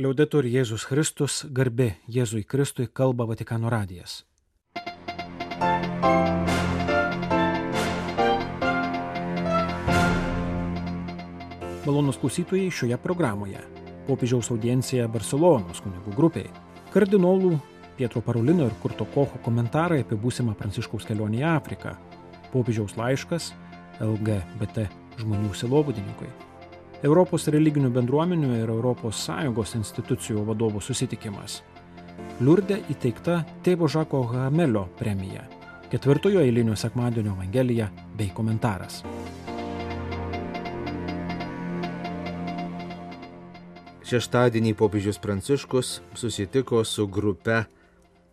Liaudetur Jėzus Kristus, garbė Jėzui Kristui, kalba Vatikano radijas. Malonūs klausytojai, šioje programoje popiežiaus audiencija Barselonos kunigų grupiai, kardinolų Pietro Parolino ir Kurto Kocho komentarai apie būsimą Pranciškaus kelionę į Afriką, popiežiaus laiškas LGBT žmonių sielovadininkui, Europos religinių bendruomenių ir ES institucijų vadovų susitikimas, Liurde įteikta tėvo Žako Hamelio premija, 4 eilinio sekmadienio evangelija bei komentaras. Šeštadienį popiežius Pranciškus susitiko su grupe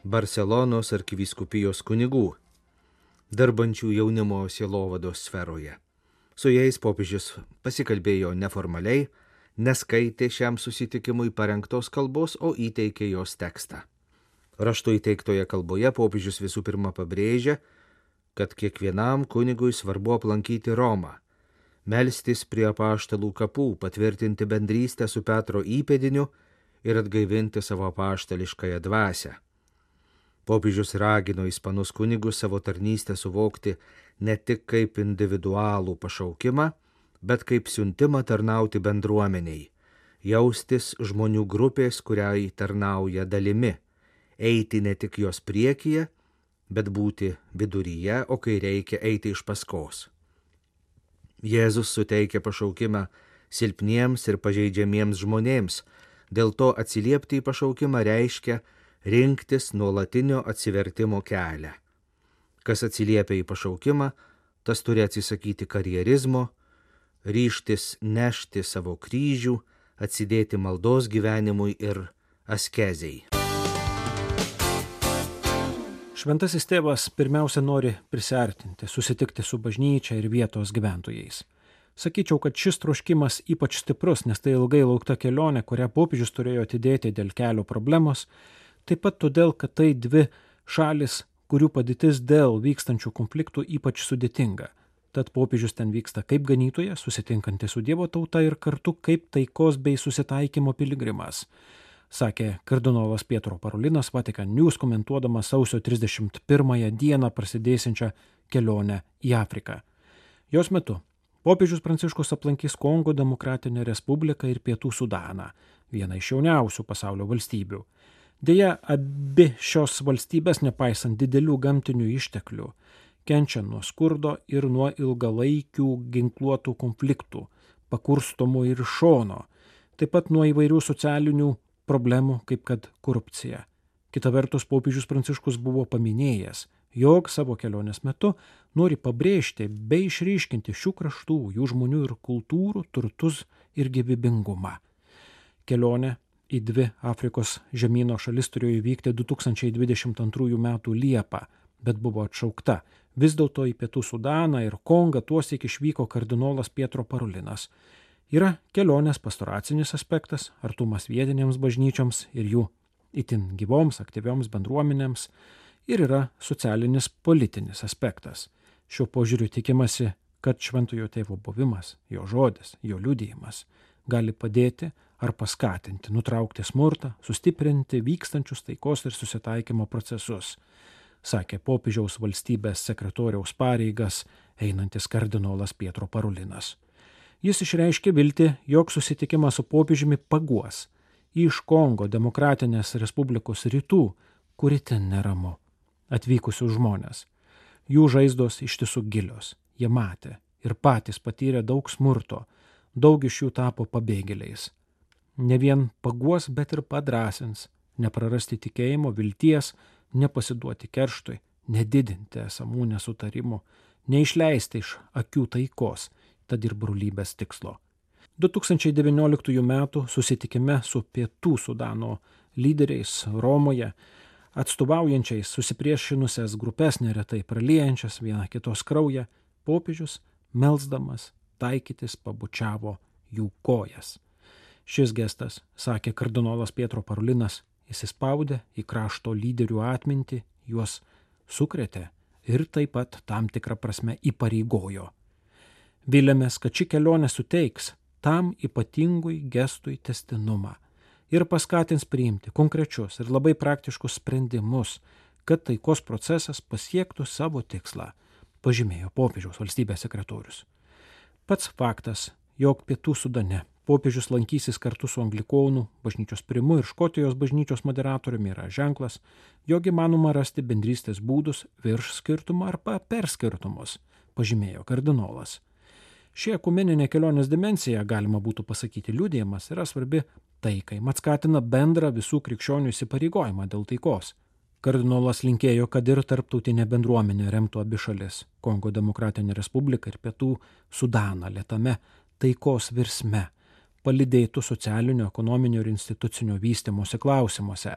Barselonos arkivyskupijos kunigų, dirbančių jaunimo sielovados sferoje. Su jais popiežius pasikalbėjo neformaliai, neskaitė šiam susitikimui parengtos kalbos, o įteikė jos tekstą. Raštu įteiktoje kalboje popiežius visų pirma pabrėžia, kad kiekvienam kunigui svarbu aplankyti Romą, melstis prie apaštalų kapų, patvirtinti bendrystę su Petro įpėdiniu ir atgaivinti savo apaštališkąją dvasią. Popiežius ragino ispanus kunigus savo tarnystę suvokti ne tik kaip individualų pašaukimą, bet kaip siuntimą tarnauti bendruomeniai, jaustis žmonių grupės, kuriai tarnauja dalimi, eiti ne tik jos priekyje, bet būti viduryje, o kai reikia eiti iš paskos. Jėzus suteikia pašaukimą silpniems ir pažeidžiamiems žmonėms, dėl to atsiliepti į pašaukimą reiškia rinktis nuolatinio atsivertimo kelią. Kas atsiliepia į pašaukimą, tas turi atsisakyti karjerizmo, ryžtis nešti savo kryžių, atsidėti maldos gyvenimui ir askezei. Šventasis tėvas pirmiausia nori prisiartinti, susitikti su bažnyčia ir vietos gyventojais. Sakyčiau, kad šis troškimas ypač stiprus, nes tai ilgai laukta kelionė, kurią popiežius turėjo atidėti dėl kelio problemos, taip pat todėl, kad tai dvi šalis, kurių padėtis dėl vykstančių konfliktų ypač sudėtinga. Tad popiežius ten vyksta kaip ganytojas, susitinkantis su Dievo tauta ir kartu kaip taikos bei susitaikymo piligrimas, sakė kardinolas Pietro Parolinas Vatican News komentuodamas sausio 31 dieną prasidėsiančią kelionę į Afriką. Jos metu popiežius Pranciškus aplankys Kongo Demokratinę Respubliką ir Pietų Sudaną, vieną iš jauniausių pasaulio valstybių. Deja, abi šios valstybės, nepaisant didelių gamtinių išteklių, kenčia nuo skurdo ir nuo ilgalaikių ginkluotų konfliktų, pakurstomų ir iš šono, taip pat nuo įvairių socialinių problemų, kaip kad korupcija. Kita vertus, popiežius Pranciškus buvo paminėjęs, jog savo kelionės metu nori pabrėžti bei išryškinti šių kraštų, jų žmonių ir kultūrų turtus ir gyvybingumą. Kelionė į dvi Afrikos žemyno šalis turėjo įvykti 2022 m. Liepą, bet buvo atšaukta. Vis dėlto į Pietų Sudaną ir Kongą tuosyk išvyko kardinolas Pietro Parolinas. Yra kelionės pastoracinis aspektas, artumas vietinėms bažnyčioms ir jų itin gyvoms, aktyvioms bendruomenėms, ir yra socialinis politinis aspektas. Šiuo požiūriu tikimasi, kad šventojo tėvo buvimas, jo žodis, jo liudijimas gali padėti ar paskatinti, nutraukti smurtą, sustiprinti vykstančius taikos ir susitaikymo procesus, sakė popiežiaus valstybės sekretoriaus pareigas einantis kardinolas Pietro Parolinas. Jis išreiškė viltį, jog susitikimas su popiežiumi paguos iš Kongo Demokratinės Respublikos rytų, kuri ten neramu, atvykusius žmonės. Jų žaizdos iš tiesų gilios, jie matė ir patys patyrė daug smurto, daug iš jų tapo pabėgėliais. Ne vien paguos, bet ir padrąsins, neprarasti tikėjimo, vilties, nepasiduoti kerštui, nedidinti esamų nesutarimų, neišleisti iš akių taikos, tad ir brolybės tikslo. 2019 m. susitikime su Pietų Sudano lyderiais Romoje, atstovaujančiais susipriešinusias grupes, neretai praliejančias viena kitos kraują, popiežius, melsdamas, taikytis pabučiavo jų kojas. Šis gestas, sakė kardinolas Pietro Parolinas, įsispaudė į krašto lyderių atmintį, juos sukrėtė ir taip pat tam tikrą prasme įpareigojo. Viliamės, kad ši kelionė suteiks tam ypatingui gestui tęstinumą ir paskatins priimti konkrečius ir labai praktiškus sprendimus, kad taikos procesas pasiektų savo tikslą, pažymėjo popiežiaus valstybės sekretorius. Pats faktas, jog Pietų Sudane popiežius lankysis kartu su anglikonų bažnyčios primu ir Škotijos bažnyčios moderatoriumi yra ženklas, jog įmanoma rasti bendrystės būdus virš skirtumų arba per skirtumus, pažymėjo kardinolas. Ši ekumeninė kelionės dimensija, galima būtų pasakyti liudijimas, yra svarbi taikai, mat skatina bendrą visų krikščionių įsipareigojimą dėl taikos. Kardinolas linkėjo, kad ir tarptautinė bendruomenė remtų abi šalis – Kongo Demokratinę Respubliką ir Pietų Sudaną lėtame taikos virsme, palydėtų socialinio, ekonominio ir institucinio vystymosi klausimuose.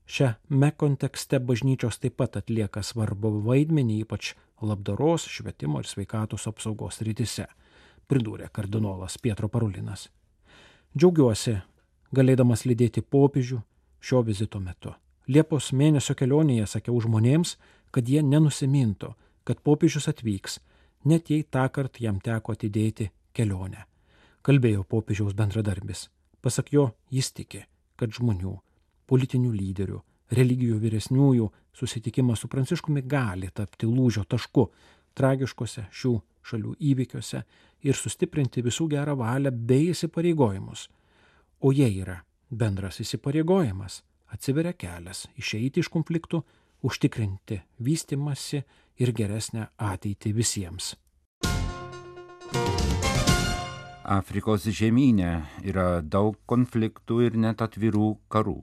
Šiame kontekste bažnyčios taip pat atlieka svarbų vaidmenį, ypač labdaros, švietimo ir sveikatos apsaugos srityse, pridūrė kardinolas Pietro Parulinas. Džiaugiuosi, galėdamas lydėti popiežių šio vizito metu. Liepos mėnesio kelionėje sakiau žmonėms, kad jie nenusimintų, kad popiežius atvyks, net jei tąkart jam teko atidėti kelionę. Kalbėjo popiežiaus bendradarbis. Pasak jo, jis tiki, kad žmonių, politinių lyderių, religijų vyresniųjų susitikimas su Pranciškumi gali tapti lūžio tašku tragiškose šių šalių įvykiuose ir sustiprinti visų gerą valią bei įsipareigojimus. O jie yra bendras įsipareigojimas, atsiveria kelias išeiti iš konfliktų, užtikrinti vystymasi ir geresnę ateitį visiems. Afrikos žemyne yra daug konfliktų ir net atvirų karų.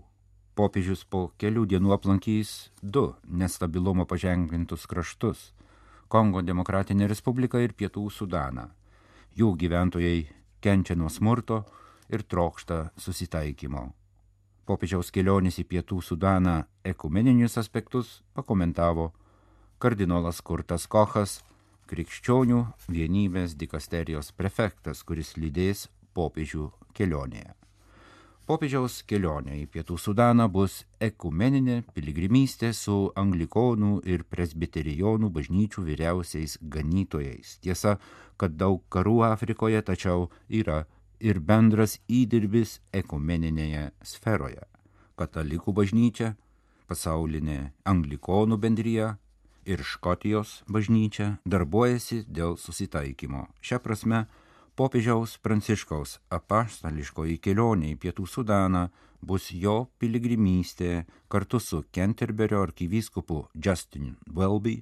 Popiežius po kelių dienų aplankys 2 nestabilumo paženklintus kraštus – Kongo Demokratinę Respubliką ir Pietų Sudaną. Jų gyventojai kenčia nuo smurto ir trokšta susitaikymo. Popiežiaus kelionės į Pietų Sudaną ekumeninius aspektus pakomentavo kardinolas Kurtas Kochas, krikščionių vienybės dikasterijos prefektas, kuris lydės popiežių kelionėje. Popiežiaus kelionė į Pietų Sudaną bus ekumeninė piligrimystė su anglikonų ir presbiterijonų bažnyčių vyriausiais ganytojais. Tiesa, kad daug karų Afrikoje, tačiau yra ir bendras įdirbis ekumeninėje sferoje. Katalikų bažnyčia, pasaulinė anglikonų bendrija ir Škotijos bažnyčia darbuojasi dėl susitaikymo. Šia prasme, popiežiaus Pranciškaus apaštališkoji kelionė į Pietų Sudaną bus jo piligrimystė kartu su Kenterberio arkivyskupu Justin Welby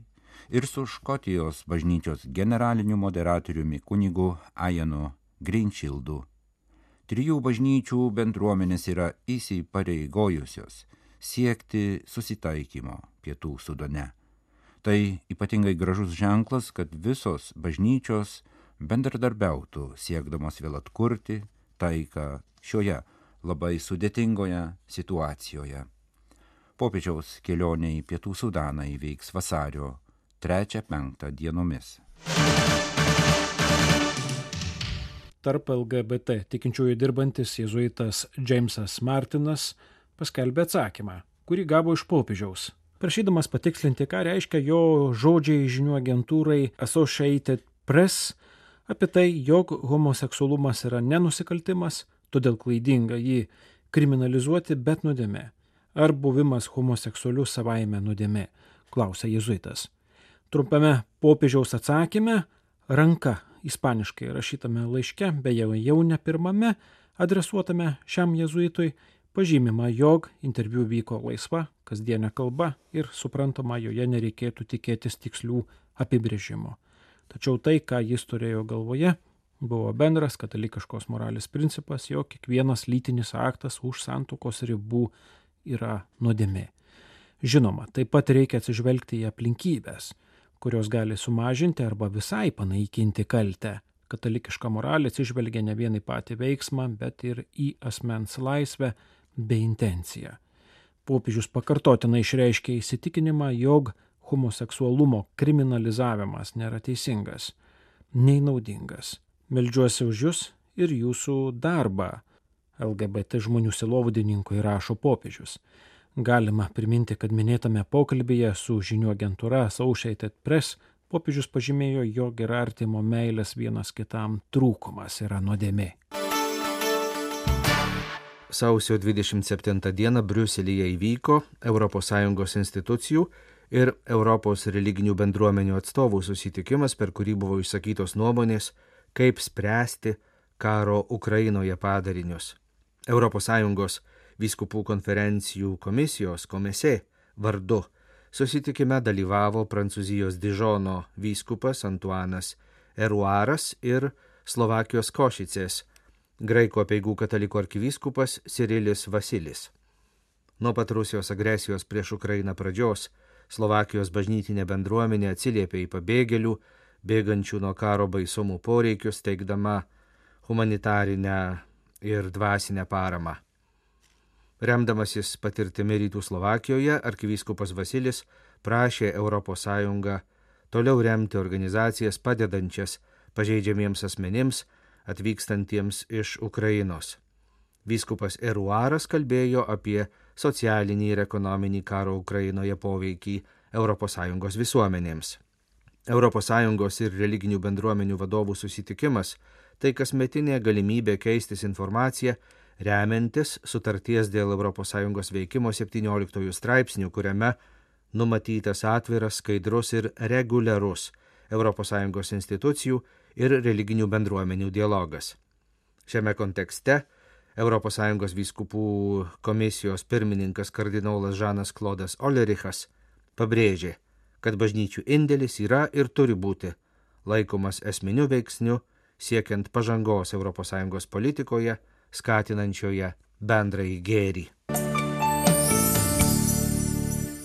ir su Škotijos bažnyčios generaliniu moderatoriumi kunigu Ianu Greenfieldu. 3 bažnyčių bendruomenės yra įsipareigojusios siekti susitaikymo Pietų Sudane. Tai ypatingai gražus ženklas, kad visos bažnyčios bendradarbiautų siekdamos vėl atkurti taiką šioje labai sudėtingoje situacijoje. Popiežiaus kelionė į Pietų Sudaną įvyks vasario 3-5 dienomis. Tarp LGBT tikinčiųjų dirbantis jėzuitas Jamesas Martinas paskelbė atsakymą, kurį gavo iš popiežiaus, prašydamas patikslinti, ką reiškia jo žodžiai žinių agentūrai Associated Press apie tai, jog homoseksualumas yra nenusikaltimas, todėl klaidinga jį kriminalizuoti, bet nuodėmė. Ar buvimas homoseksualiu savaime nuodėmė, klausė jėzuitas. Trumpame popiežiaus atsakyme ranka ispaniškai rašytame laiške, beje jau ne pirmame, adresuotame šiam jėzuitui, pažymima, jog interviu vyko laisva, kasdienė kalba ir suprantama, joje nereikėtų tikėtis tikslių apibrėžimo. Tačiau tai, ką jis turėjo galvoje, buvo bendras katalikiškos moralės principas, jog kiekvienas lytinis aktas už santuokos ribų yra nuodėmė. Žinoma, taip pat reikia atsižvelgti į aplinkybės, kurios gali sumažinti arba visai panaikinti kaltę. Katalikiška moralė atsižvelgia ne vien į patį veiksmą, bet ir į asmens laisvę bei intenciją. Popiežius pakartotinai išreiškė įsitikinimą, jog homoseksualumo kriminalizavimas nėra teisingas, nei naudingas. Meldžiuosi už jūs ir jūsų darbą, LGBT žmonių sielovadininkui rašo popiežius. Galima priminti, kad minėtame pokalbyje su žinių agentūra Associated Press popiežius pažymėjo, jog ir artimo meilės vienas kitam trūkumas yra nuodėmė. sausio 27 dieną Briuselyje įvyko ES institucijų ir Europos religinių bendruomenių atstovų susitikimas, per kurį buvo išsakytos nuomonės, kaip spręsti karo Ukrainoje padarinius. ES vyskupų konferencijų komisijos Komesė vardu susitikime dalyvavo Prancūzijos Dižono vyskupas Antuanas Eruaras ir Slovakijos Košicės graikų apeigų katalikų arkivyskupas Sirilis Vasilis. Nuo pat Rusijos agresijos prieš Ukrainą pradžios Slovakijos bažnytinė bendruomenė atsiliepė į pabėgėlių, bėgančių nuo karo baisumų poreikius, teikdama humanitarinę ir dvasinę paramą. Remdamasis patirtimi Rytų Slovakijoje, arkivyskupas Vasilis prašė ES toliau remti organizacijas padedančias pažeidžiamiems asmenims atvykstantiems iš Ukrainos. Vyskupas Eruaras kalbėjo apie socialinį ir ekonominį karo Ukrainoje poveikį ES visuomenėms. ES ir religinių bendruomenių vadovų susitikimas – tai kasmetinė galimybė keistis informaciją, remiantis sutarties dėl ES veikimo 17 straipsnių, kuriame numatytas atviras, skaidrus ir reguliarus ES institucijų ir religinių bendruomenių dialogas. Šiame kontekste ES vyskupų komisijos pirmininkas kardinolas Žanas Klodas Olerichas pabrėžė, kad bažnyčių indėlis yra ir turi būti laikomas esminiu veiksniu siekiant pažangos ES politikoje, skatinančioje bendrąjį gėrį.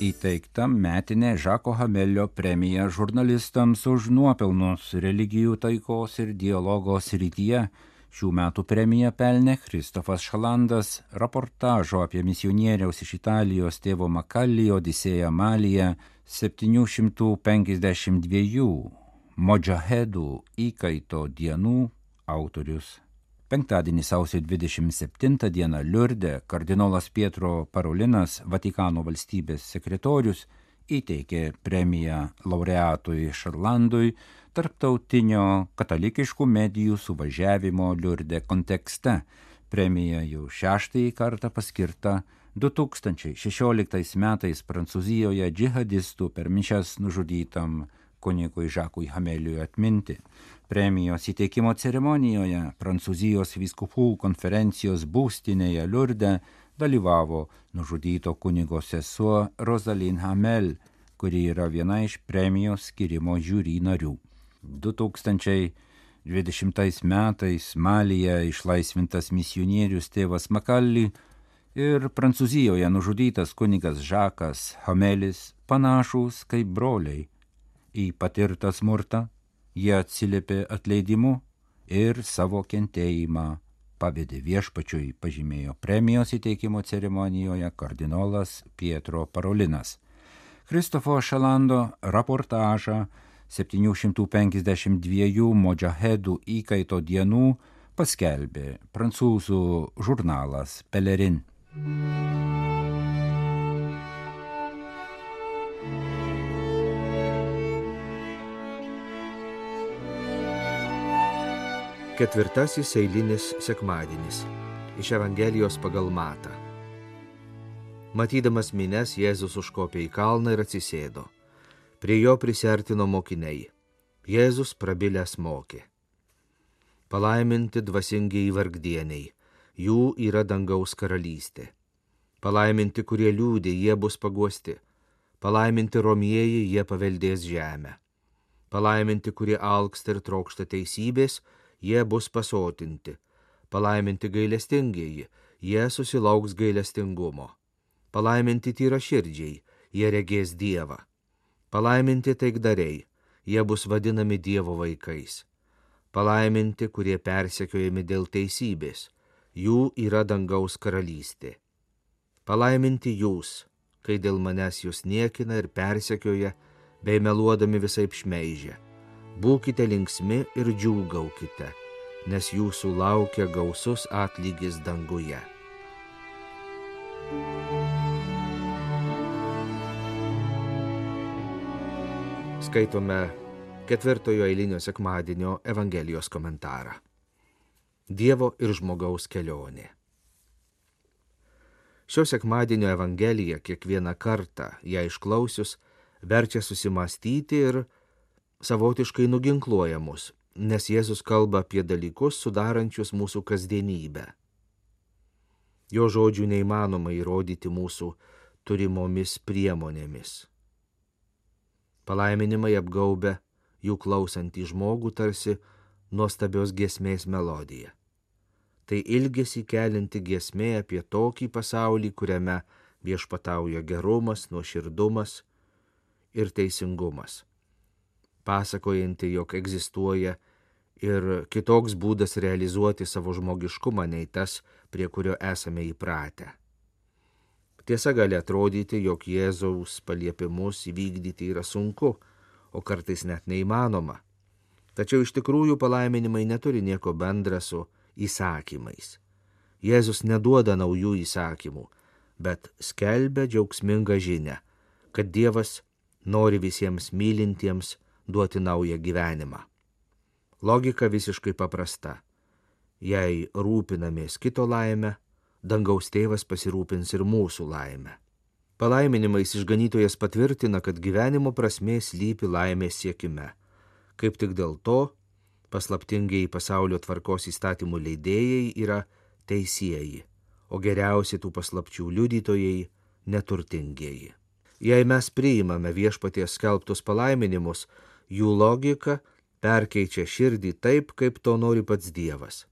Įteikta metinė Žako Hamelio premija žurnalistams už nuopelnus religijų taikos ir dialogo srityje. Šių metų premiją pelnė Kristofas Šalandas reportažo apie misionieriaus iš Italijos tėvo Makalli Odisėją Malyje 752 modžahedų įkaito dienų autorius. Penktadienį sausio 27 dieną Liurde kardinolas Pietro Parolinas, Vatikano valstybės sekretorius, įteikė premiją laureatui Šarlandui tarptautinio katalikiškų medijų suvažiavimo Liurde kontekste. Premija jau 6. kartą paskirta 2016 metais Prancūzijoje džihadistų per mišias nužudytam kunigui Žakui Hameliui atminti. Premijos įteikimo ceremonijoje Prancūzijos vyskupų konferencijos būstinėje Liurde dalyvavo nužudyto kunigo sesuo Rosaline Hamel, kuri yra viena iš premijos skirimo žiūri narių. 2020 metais Malyje išlaisvintas misionierius tėvas Makalli ir Prancūzijoje nužudytas kunigas Žakas Hamelis panašūs kaip broliai. Į patirtą smurtą jie atsiliepė atleidimu ir savo kentėjimą pavedė viešpačiui, pažymėjo premijos įteikimo ceremonijoje kardinolas Pietro Parolinas. Kristofo Šalando reportažą 752 modžahedų įkaito dienų paskelbė prancūzų žurnalas Pelerin. Ketvirtasis eilinis sekmadienis iš Evangelijos pagal Matą. Matydamas minias, Jėzus užkopė į kalną ir atsisėdo. Prie jo prisiartino mokiniai. Jėzus prabilęs mokė. Palaiminti dvasingieji vargdieniai, jų yra dangaus karalystė. Palaiminti, kurie liūdi, jie bus paguosti. Palaiminti romieji, jie paveldės žemę. Palaiminti, kurie alksta ir trokšta teisybės, jie bus pasotinti. Palaiminti gailestingieji, jie susilauks gailestingumo. Palaiminti tyraširdžiai, jie regės Dievą. Palaiminti taikdariai, jie bus vadinami Dievo vaikais. Palaiminti, kurie persekiojami dėl teisybės, jų yra dangaus karalystė. Palaiminti jūs, kai dėl manęs jūs niekina ir persekioja, bei meluodami visaip šmeižia. Būkite linksmi ir džiūgaukite, nes jūsų laukia gausus atlygis danguje. Skaitome 4 eilinio sekmadienio Evangelijos komentarą. Dievo ir žmogaus kelionė. Šio sekmadienio Evangelija kiekvieną kartą ją išklausius verčia susimastyti ir savotiškai nuginkluoja mus, nes Jėzus kalba apie dalykus sudarančius mūsų kasdienybę. Jo žodžių neįmanoma įrodyti mūsų turimomis priemonėmis. Palaiminimai apgaubia jų klausantį žmogų tarsi nuostabios giesmės melodija. Tai ilgesį kelinti giesmė apie tokį pasaulį, kuriame viešpatauja gerumas, nuoširdumas ir teisingumas, pasakojanti, jog egzistuoja ir kitoks būdas realizuoti savo žmogiškumą nei tas, prie kurio esame įpratę. Tiesa, gali atrodyti, jog Jėzaus paliepimus įvykdyti yra sunku, o kartais net neįmanoma. Tačiau iš tikrųjų palaiminimai neturi nieko bendra su įsakymais. Jėzus neduoda naujų įsakymų, bet skelbia džiaugsmingą žinią, kad Dievas nori visiems mylintiems duoti naują gyvenimą. Logika visiškai paprasta. Jei rūpinamės kito laimę, dangaus tėvas pasirūpins ir mūsų laimę. Palaiminimais išganytojas patvirtina, kad gyvenimo prasmė slypi laimės siekime. Kaip tik dėl to paslaptingieji pasaulio tvarkos įstatymų leidėjai yra teisieji, o geriausi tų paslapčių liudytojai neturtingieji. Jei mes priimame viešpaties skelbtus palaiminimus, jų logika perkeičia širdį taip, kaip to nori pats Dievas.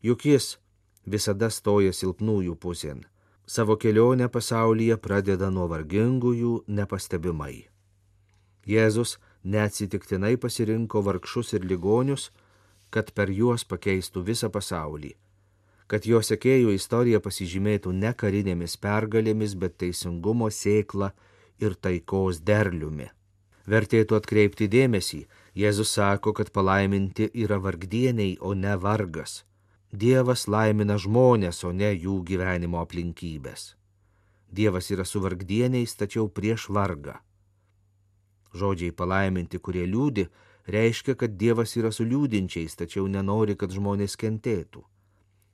Juk jis visada stoja silpnųjų pusėn, savo kelionę pasaulyje pradeda nuo vargingųjų nepastebimai. Jėzus neatsitiktinai pasirinko vargšus ir ligonius, kad per juos pakeistų visą pasaulį, kad jo sekėjų istorija pasižymėtų ne karinėmis pergalėmis, bet teisingumo sėkla ir taikos derliumi. Vertėtų atkreipti dėmesį, Jėzus sako, kad palaiminti yra vargdieniai, o ne vargas. Dievas laimina žmonės, o ne jų gyvenimo aplinkybės. Dievas yra su vargdieniais, tačiau prieš vargą. Žodžiai palaiminti, kurie liūdi, reiškia, kad Dievas yra su liūdinčiais, tačiau nenori, kad žmonės kentėtų.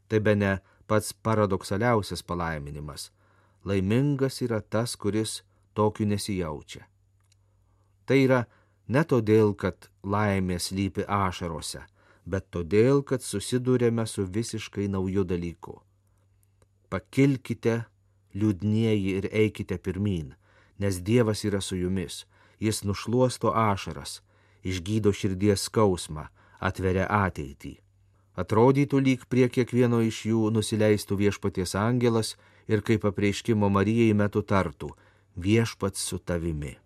Tai bene pats paradoksaliausias palaiminimas. Laimingas yra tas, kuris tokiu nesijaučia. Tai yra ne todėl, kad laimė slypi ašarose, bet todėl, kad susidūrėme su visiškai nauju dalyku. Pakilkite, liūdnieji, ir eikite pirmyn, nes Dievas yra su jumis. Jis nušluosto ašaras, išgydo širdies skausmą, atveria ateitį. Atrodytų, lyg prie kiekvieno iš jų nusileistų viešpaties angelas ir kaip apreiškimo Marijai metu tartų: viešpats su tavimi.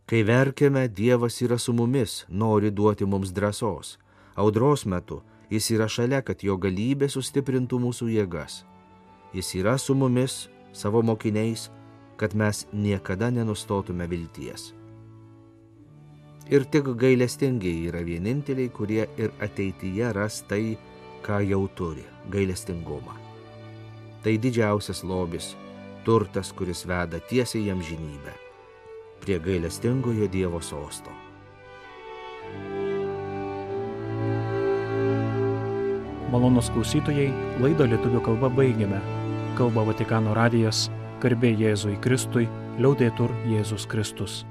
Kai verkiame, Dievas yra su mumis, nori duoti mums drąsos. Audros metu jis yra šalia, kad jo galybė sustiprintų mūsų jėgas. Jis yra su mumis, savo mokiniais, kad mes niekada nenustotume vilties. Ir tik gailestingiai yra vieninteliai, kurie ir ateityje ras tai, ką jau turi – gailestingumą. Tai didžiausias lobis, turtas, kuris veda tiesiai į amžinybę, prie gailestingojo Dievo sosto. Malonūs klausytojai, laidą lietuvių kalba baigiame. Kalba Vatikano radijas, garbė Jėzui Kristui, liaudetur Jėzus Kristus.